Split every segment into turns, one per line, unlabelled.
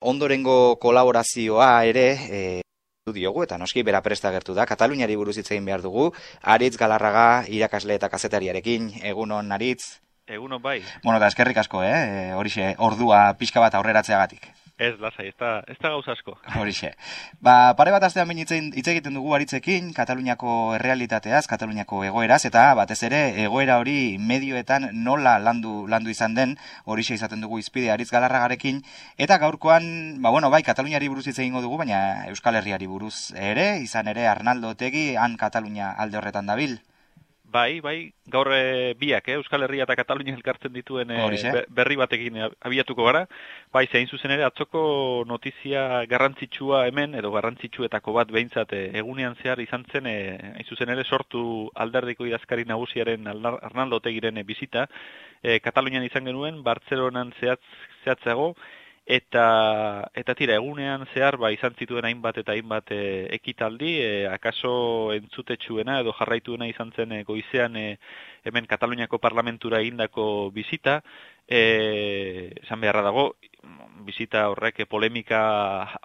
ondorengo kolaborazioa ere diogu, eta noski bera presta agertu da. Kataluniari buruz hitz egin behar dugu. Aritz Galarraga, irakasle eta kazetariarekin. Egunon, Aritz.
Egunon bai.
Bueno, eta eskerrik asko, horixe, ordua pixka bat aurreratzeagatik.
Ez, lasai, ez da gauza asko.
Horixe. Pare bat astean hitz egiten dugu Aritzekin, Kataluniako errealitateaz, Kataluniako egoeraz, eta batez ere egoera hori medioetan nola landu izan den, horixe izaten dugu izpide Aritz Galarragarekin, eta gaurkoan, bai, Kataluniari buruz hitz egingo dugu, baina Euskal Herriari buruz ere, izan ere Arnaldo Otegi, han Katalunia alde horretan dabil.
Bai, gaur biak, Euskal Herria eta Katalunia elkartzen dituen berri batekin abiatuko gara. Bai, zein zuzen ere, atzoko notizia garrantzitsua hemen, edo garrantzitsuetako bat behintzat egunean zehar izan zen, hain zuzen ere, sortu alderdiko idazkari nagusiaren Arnaldo Otegiren bizita. Katalunian izan genuen, Bartzelonan zehatzago, eta tira, egunean zehar izan zituen hainbat eta hainbat ekitaldi, akaso entzutetsuena edo jarraituena izan zen goizean hemen Kataluniako parlamentura egindako bizita, esan beharra dago, bizita horrek polemika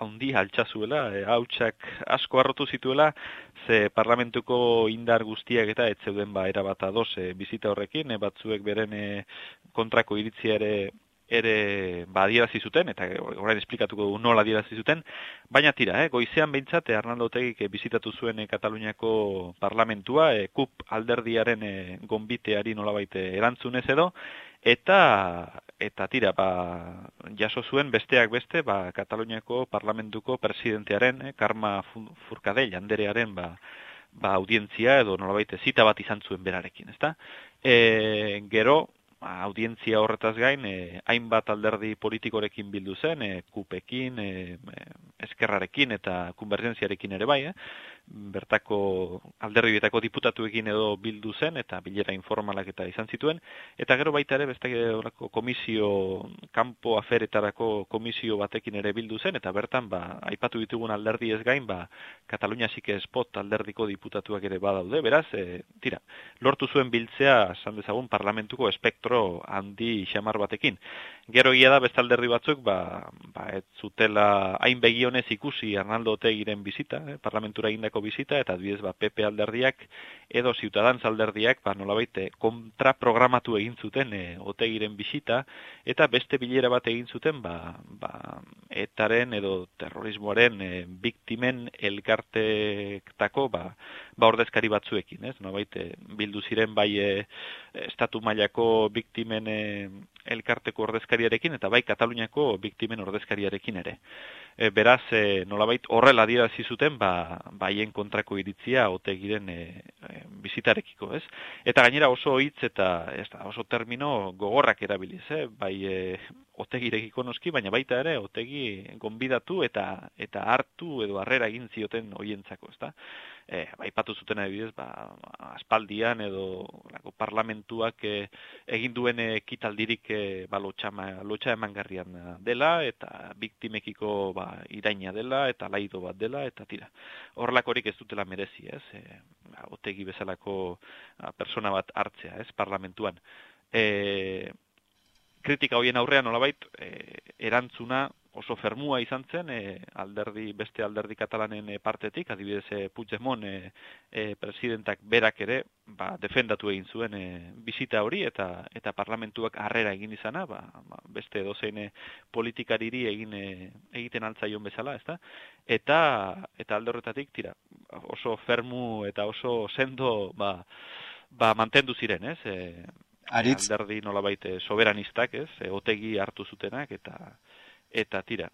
handi altxazuela, hautsak asko harrotu zituela, ze parlamentuko indar guztiak eta ez zeuden erabat ados bizita horrekin, batzuek beren kontrako iritzia ere adierazi zuten, eta orain esplikatuko dugu nola adierazi zuten, baina tira, goizean behintzat Arnaldo Otegik bizitatu zuen Kataluniako parlamentua, KUP alderdiaren gonbiteari nolabait erantzunez edo, eta tira, jaso zuen besteak beste, Kataluniako parlamentuko presidentearen, Carme Forcadell anderearen, audientzia edo nolabait zita bat izan zuen berarekin, ezta? Gero, audientzia horretaz gain, hainbat alderdi politikorekin bildu zen, KUPekin, Eskerrarekin eta Konbergentziarekin ere bai, bertako alderdietako diputatuekin edo bildu zen, eta bilera informalak eta izan zituen, eta gero baita ere, beste komisio, kanpo aferetarako komisio batekin ere bildu zen, eta bertan, aipatu ditugun alderdi ez gain, Katalunia Sike Spot alderdiko diputatuak ere badaude, beraz, tira, lortu zuen biltzea, esan dezagun, parlamentuko espektro handi xamar batekin. Gero egia da beste alderdi batzuk, ez zutela hain begionez ikusi Arnaldo Otegiren bizita, parlamentura egindako bizita, eta adibidez PP alderdiak edo Ciutadans alderdiak nolabait kontraprogramatu egin zuten Otegiren bizita, eta beste bilera bat egin zuten etaren edo terrorismoaren biktimen elkartektako ordezkari batzuekin, ez? Nolabait bildu ziren estatu mailako biktimen elkarteko ordezkariarekin eta Kataluniako biktimen ordezkariarekin ere. Beraz, nolabait horrela adierazi zuten haien kontrako iritzia Otegiren bizitarekiko, ez? Eta gainera oso hitz eta oso termino gogorrak erabiliz, Otegirekiko noski, baina baita ere Otegi gonbidatu eta hartu edo harrera egin zioten hoientzako, ezta? Aipatu zuten adibidez, aspaldian edo parlamentuak egin duen ekitaldirik lotxa emangarrian dela, eta biktimekiko iraina dela, eta laido bat dela, eta tira. Horrelakorik ez dutela merezi, ez? Otegi bezalako persona bat hartzea, ez? Parlamentuan. Kritika hoien aurrean nolabait, erantzuna oso fermua izan zen, beste alderdi katalanen partetik, adibidez Puigdemont presidentak berak ere, defendatu egin zuen bizita hori, eta parlamentuak harrera egin izana, beste dozein politikariri egiten altzaion bezala, ezta? Eta alde horretatik, tira, oso fermu eta oso sendo, mantendu ziren, ez?
Aritz,
alderdi nolabait soberanistak, ez? Otegi hartu zutenak, eta tira,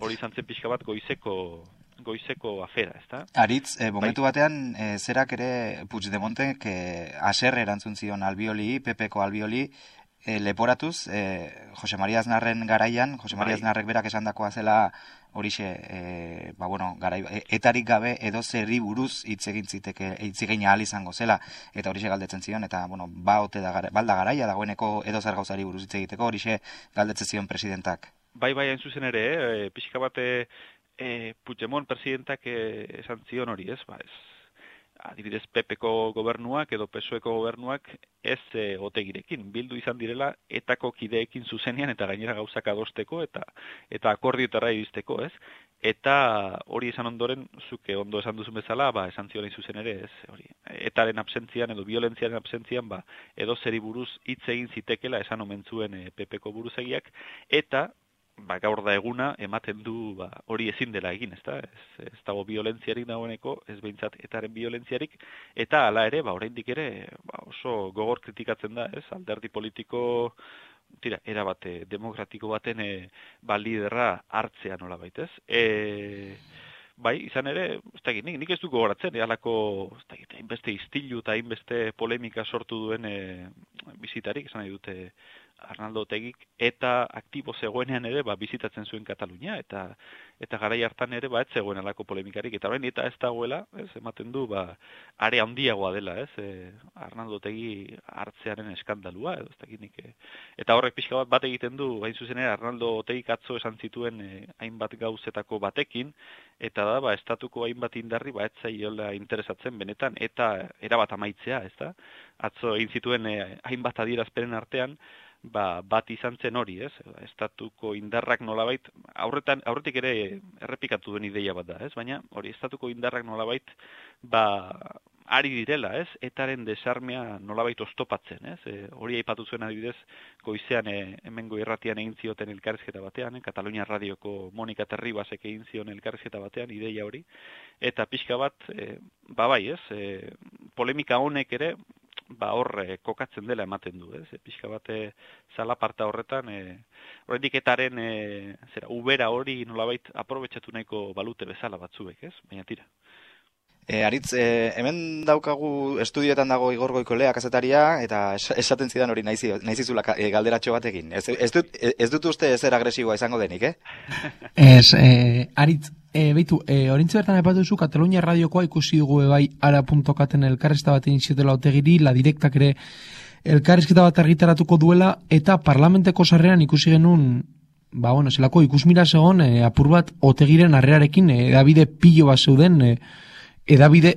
hori izan zen pixka bat goizeko afera, ezta?
Aritz, momentu batean, zerak ere Puigdemontek haserre erantzun zion Albioli, PPko Albioli, leporatuz, Jose Maria Aznarren garaian, Jose Maria Aznarrek berak esandakoa zela horixe, etarik gabe edo zerri buruz hitz egin ahal izango zela, eta horixe galdetzen zion, eta, balda garaia dagoeneko edo zer gauzari buruz hitz egiteko, horixe galdetzen zion presidentak.
Bai, hain zuzen ere, pixka bat Puigdemont presidentak esan zion hori, ez? adibidez PPko gobernuak edo PSOEko gobernuak ez Otegirekin bildu izan direla etako kideekin zuzenean eta gainera gauzak adosteko eta akordioetara iristeko, ez? Eta hori esan ondoren, zuke ondo esan duzun bezala, esan ziola zuzen ere, ez? Hori, etaren absentzian edo violentziaren absentzian, edo zeri buruz hitz egin zitekela esan omen zuen PPko buruzagiak, eta gaur da eguna ematen du hori ezin dela egin, ezta? Ez dago violentziarik dagoeneko, ez behintzat etaren violentziarik, eta hala ere, oraindik ere oso gogor kritikatzen da, ez? Alderdi politiko erabat demokratiko baten liderra hartzea nolabait, ez? Bai, izan ere, nik ez du gogoratzen, halako hainbeste istilu eta hainbeste polemika sortu duen bizitarik, esan nahi dute Arnaldo Otegik, eta aktibo zegoenean ere bizitatzen zuen Katalunia, eta garai hartan ere ez zegoen alako polemikarik, eta orain eta ez dagoela, ez, ematen du, are handiagoa dela, ez, Arnaldo Otegi hartzearen eskandalua, edo ez dakinik, eta horrek pixka bat egiten du, hain zuzen ere, Arnaldo Otegik atzo esan zituen hainbat gauzetako batekin, eta da, estatuko hainbat indarri, ez zaiola interesatzen benetan, eta erabat amaitzea, ez da, atzo egin zituen hainbat adierazpenen artean, bat izan zen hori, ez? Estatuko indarrak nolabait, aurretik ere errepikatu duen ideia bat da, ez? Baina hori estatuko indarrak nolabait, ari direla, ez? Etaren desarmea nolabait oztopatzen, ez? Hori aipatu zuen adibidez, goizean hemengo irratian egin zioten elkarrizketa batean, Katalunia Radioko Monika Terribasek egin zion elkarrizketa batean, ideia hori, eta pixka bat, bai, ez? Polemika honek ere, hor kokatzen dela ematen du, ez? Pixka bate zalaparta horretan, horrendik etaren ubera hori nolabait aprobetxatu nahiko balute bezala batzuek, ez? Baina tira.
Aritz, hemen daukagu estudioetan dago Igor Goikolea kazetaria, eta esaten zidan hori naizizula galderatxo batekin. Ez dut uste ezer agresiboa izango denik,
Ez, Aritz, beitu, orintze bertan aipatu duzu, Katalunia Radiokoa ikusi dugu bai ara.caten elkarrizketa bat egin ziotela Otegiri, La Directak ere elkarrizketa bat argitaratuko duela, eta parlamenteko sarreran ikusi genuen, zelako ikusmira zegoen, apur bat Otegiren harrerarekin, edabide pilo bat zeuden, edabide,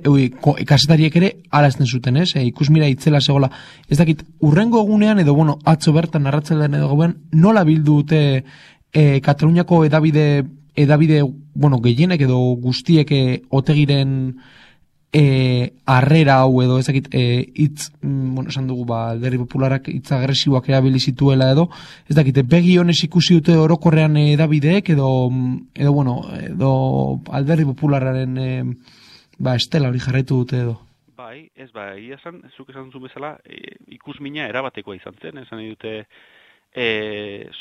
kasetariek ere alazten zuten, ez? Ikusmira itzela zegoela. Ez dakit, urrengo egunean, edo, atzo bertan narratzelean edo gobean, nola bildu dute Kataluniako edabide, gehienek edo guztiek Otegiren harrera hau edo, ez dakit, esan dugu, Alderdi Popularak hitz agresiboak erabili zituela edo, ez dakit, begi honez ikusi dute orokorrean edabideek edo Alderdi Populararen estela hori jarraitu dute edo.
Bai, zuk esan zuen bezala, ikusmina erabatekoa izan zen, esan nahi dute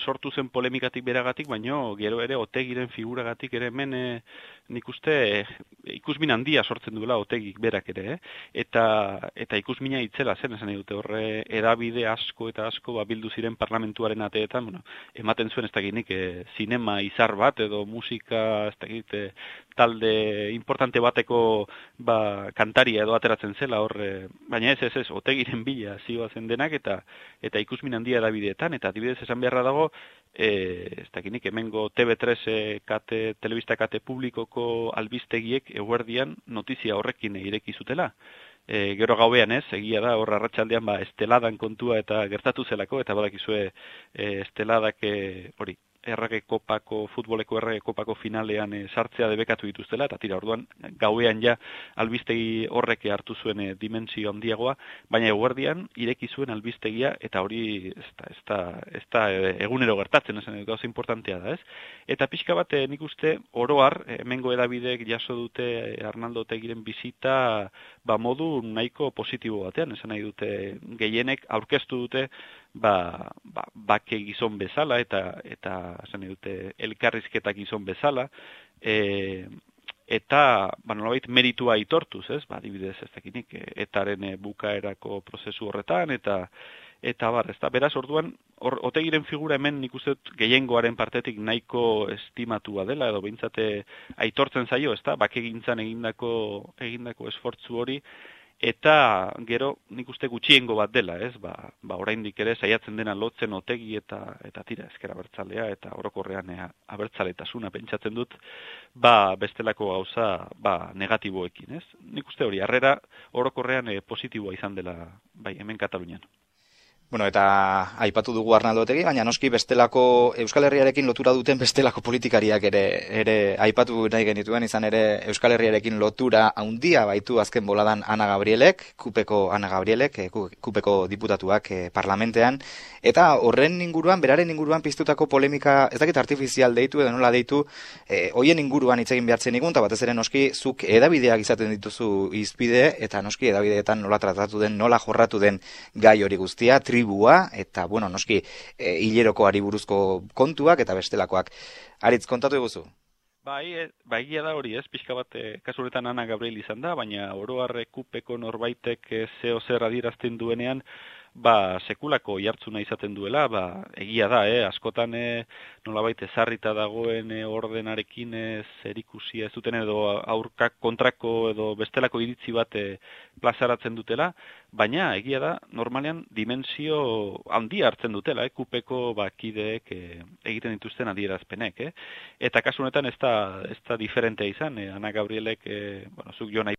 sortu zen polemikatik beragatik, baino gero ere Otegiren figuragatik ere hemen nik uste ikusmin handia sortzen duela Otegik berak ere, eta ikusmina itzela zen, esan nahi dute horre edabide asko eta asko bildu ziren parlamentuaren ateetan, ematen zuen ez dakinik zinema izar bat edo musika ez dakit talde importante bateko kantaria edo ateratzen zela horre, baina ez, Otegiren bila zioazen denak eta ikusmin handia edabideetan, eta adibidez esan beharra dago, ez dakinik hemengo TV3 telebista kate publikoko albiztegiek eguerdian notizia horrekin ireki zutela. Gero gauean ez, egia da, hor arratsaldean esteladan kontua eta gertatu zelako, eta badakizue esteladak hori, futboleko errege kopako finalean sartzea debekatu dituztela, eta tira, orduan gauean ja albistegi horrek hartu zuen dimensio handiagoa, baina eguerdian ireki zuen albiztegia, eta hori ez da egunero gertatzen, esan gauza importantea da, ez? Eta pixka bat nik uste oroar, hemengo edabidek jaso dute Arnaldo Otegiren bizita modu nahiko positibo batean, esan nahi dute gehienek aurkeztu dute bake gizon bezala eta esan dute elkarrizketak gizon bezala eta nolabait meritua aitortuz, ez? Adibidez ez dakinik etaren bukaerako prozesu horretan eta bar, ezta? Beraz, orduan Otegiren figura hemen nik uste gehiengoaren partetik nahiko estimatua dela edo behintzate aitortzen zaio, ezta? Bakegintzan egindako esfortzu hori eta gero nik uste gutxiengo bat dela, ez? Oraindik ere saiatzen dena lotzen Otegi eta tira ezker abertzalea eta orokorrean abertzaletasuna pentsatzen dut, bestelako gauza negatiboekin, ez? Nik uste hori harrera orokorrean positiboa izan dela bai hemen Katalunian.
Bueno, eta aipatu dugu Arnaldo Otegi, baina noski bestelako Euskal Herriarekin lotura duten bestelako politikariak ere aipatu nahi genituen, izan ere Euskal Herriarekin lotura handia baitu azken boladan Ana Gabrielek, Kupeko diputatuak parlamentean, eta horren inguruan, beraren inguruan piztutako polemika, ez dakit artifizial deitu edo nola deitu, hoien inguruan hitz egin behartzen igun, eta batez ere noski zuk edabideak izaten dituzu izpide, eta noski edabideetan nola tratatu den, nola jorratu den gai hori guztia, tribua, eta, bueno, noski, hilerokoari buruzko kontuak eta bestelakoak. Aritz, kontatu eguzu?
Bai, egia da hori, ez? Pixka bat, kasu honetan Ana Gabriel izan da, baina oro har Kupeko norbaitek zeo zer adierazten duenean, sekulako jartzuna izaten duela, egia da, askotan nolabait ezarrita dagoen ordenarekin zerikusia ez duten edo aurkak kontrako edo bestelako iritzi bat plazaratzen dutela, baina egia da, normalean dimensio handia hartzen dutela, Kupeko kideek egiten dituzten adierazpenek, eta kasu honetan ez da diferentea izan, Ana Gabrielek, zuk jo nahi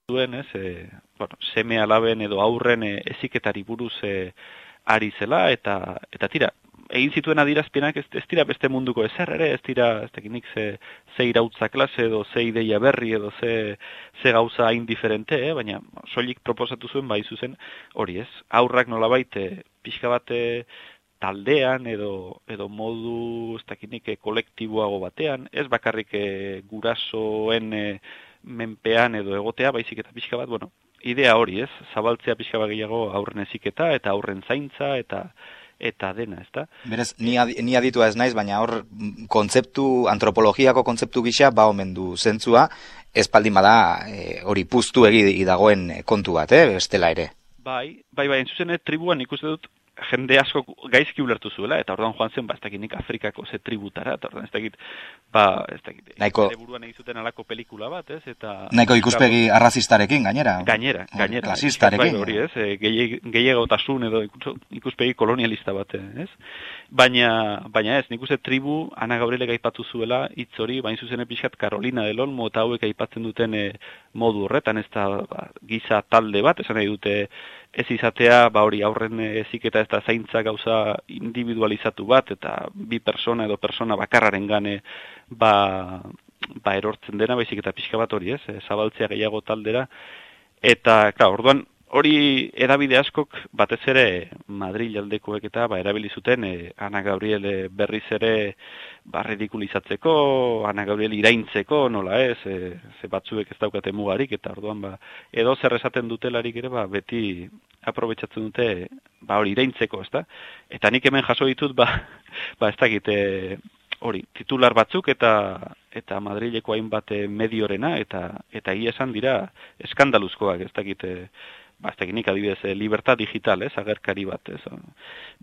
duen, seme alaben edo aurren heziketari buruz ari zela, eta tira, egin zituen adierazpenak ez dira beste munduko ezer ere, ez dira, ez dakinik ze irautza klase edo ze ideia berri edo ze gauza indiferente, baina soilik proposatu zuen bai zuzen hori ez. Aurrak nolabait pixka bat taldean edo modu ez dakinik kolektiboago batean, ez bakarrik gurasoen menpean edo egotea, baizik eta pixka bat, idea hori ez, zabaltzea pixka bat gehiago aurren heziketa eta aurren zaintza eta dena, ez da?
Berez, ni aditua ez naiz, baina hor antropologiako kontzeptu gisa omen du zentzua, espaldin bada hori puztu egi dagoen kontu bat, bestela ere.
Bai, entzuzene tribuan ikuste dut jende asko gaizki ulertu zuela, eta orduan joan zen, ez dakit nik Afrikako ze tributara, eta orduan ez dakit, ere buruan egizuten alako pelikula bat, ez?
Nahiko ikuspegi arrazistarekin, gainera?
Gainera.
Klasistarekin.
Hori, ez? Gehiagotasun edo ikuspegi kolonialista bat, ez? Baina ez, nik uste tribu, Ana Gabrielek aipatu zuela, hitz hori, bain zuzen pixkat Carolina del Olmo, eta hauek aipatzen duten modu horretan, ez da giza talde bat, esan nahi dute ez izatea, hori aurren heziketa ez da zaintza gauza individualizatu bat, eta bi persona edo persona bakarraren gane erortzen dena, baizik eta pixka bat hori ez, zabaltzea gehiago taldera, eta, orduan, hori edabide askok batez ere Madril aldekoek eta erabili zuten Ana Gabriel berriz ere ridikulizatzeko, Ana Gabriel iraintzeko, nola ez, ze batzuek ez daukate mugarik, eta orduan edo zer esaten dutelarik ere beti aprobetxatzen dute hori iraintzeko, ez da? Eta nik hemen jaso ditut, ez dakit, hori, titular batzuk eta Madrileko hainbat mediorena, eta egia esan dira eskandaluzkoak, ez dakit, ez dakit nik adibidez, libertad digital, ez, agerkari bat, ez.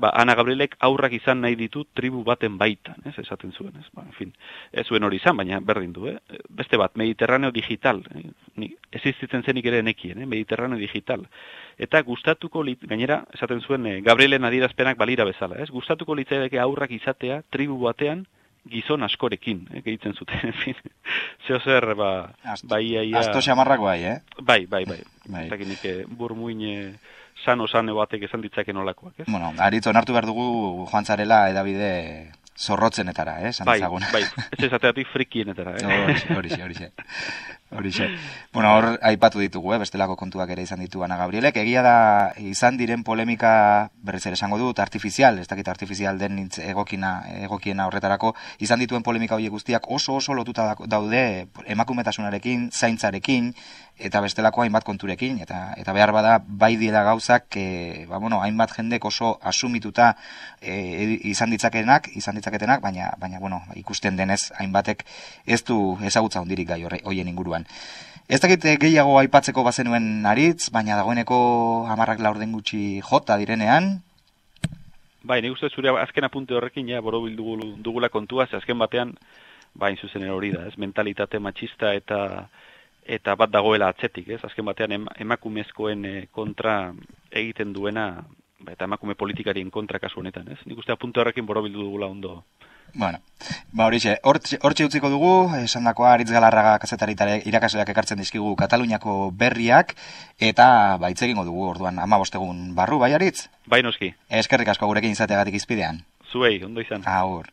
Ana Gabrielek aurrak izan nahi ditu tribu baten baitan, ez, esaten zuen, ez. En fin, ez zuen hori izan, baina berdin du, beste bat, Mediterraneo digital, existitzen zenik ere nekien, Mediterraneo digital. Eta gustatuko, gainera, esaten zuen, Gabrielen adierazpenak balira bezala, ez, gustatuko litzaidake aurrak izatea tribu batean gizon askorekin, gehitzen zuten, en fin. Zeo zer,
Asto xamarrak bai,
Bai. Zakinik burmuin sano batek esan ditzake nolakoak, ez?
Bueno, Aritz, onartu behar dugu joan zarela edabide zorrotzenetara, esan ezagun.
Bai, ez ezateatik frikienetara,
Horixe. Bueno, hor aipatu ditugu, bestelako kontuak ere izan ditu Ana Gabrielek. Egia da, izan diren polemika, berriz ere esango dut, artifizial, ez dakit artifizial den egokiena horretarako, izan dituen polemika horiek guztiak oso lotuta daude emakumetasunarekin, zaintzarekin, eta bestelako hainbat konturekin, eta behar bada bai diela gauzak, hainbat jendek oso asumituta izan ditzaketenak, baina ikusten denez, hainbatek ez du ezagutza hondirik gai horien inguruan. Ez dakit gehiago aipatzeko bazenuen Aritz, baina dagoeneko 10 laurden gutxi jota direnean.
Bai, nik uste zure azken apunte horrekin, borobil dugula kontua, ze azken batean, bain zuzen hori da, ez? Mentalitate matxista eta bat dagoela atzetik, ez? Azken batean emakumezkoen kontra egiten duena, eta emakume politikarien kontra kasu honetan, ez? Nik uste puntu horrekin borobildu dugula ondo.
Bueno, hortxe utziko dugu, esandakoa Aritz Galarraga kazetariare irakasleak ekartzen dizkigu Kataluniako berriak, eta hitz egingo dugu orduan 15 egun barru, bai Aritz?
Bai noski.
Eskerrik asko gurekin izateagatik izpidean.
Zuei, ondo izan.
Agur.